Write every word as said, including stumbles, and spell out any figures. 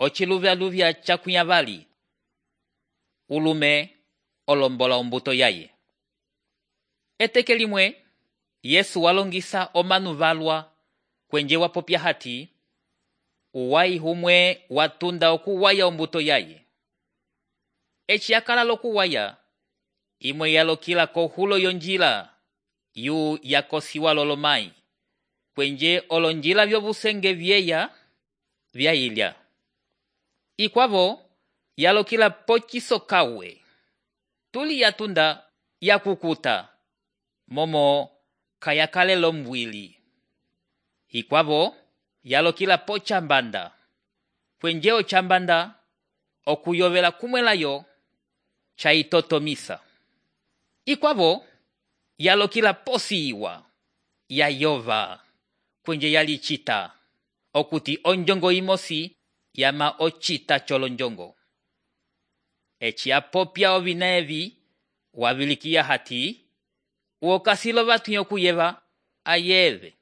ociluvyaluvya cakunyavali. Ulume olombola ombuto yaye. Eteke limwe, Yesu walongisa omanu valwa kwenje wapopya hati, uwayi humwe watunda okuwaya ombuto yaye. Eci yakala lokuwaya, imwe yalokila kohulo yonjila, yu yakosiwa lolomai, kwenje olonjila vyobusenge vyeya vyayilya. Ikwavo yalokila pocisokawe, tuli yatunda yakukuta, momo kayakale lombwili. Ikwavo yalokila pocambanda, kwenje ocambanda okuyovela kumwelayo chaitotomisa. Ikwavo yalokila posiwa, yayova, kwenje yalicita, okuti onjongo imosi yama ocita cholonjongo. Eci apopya ovina evi wavilikia hati, uokasilo vatu yokuyeva ayeve.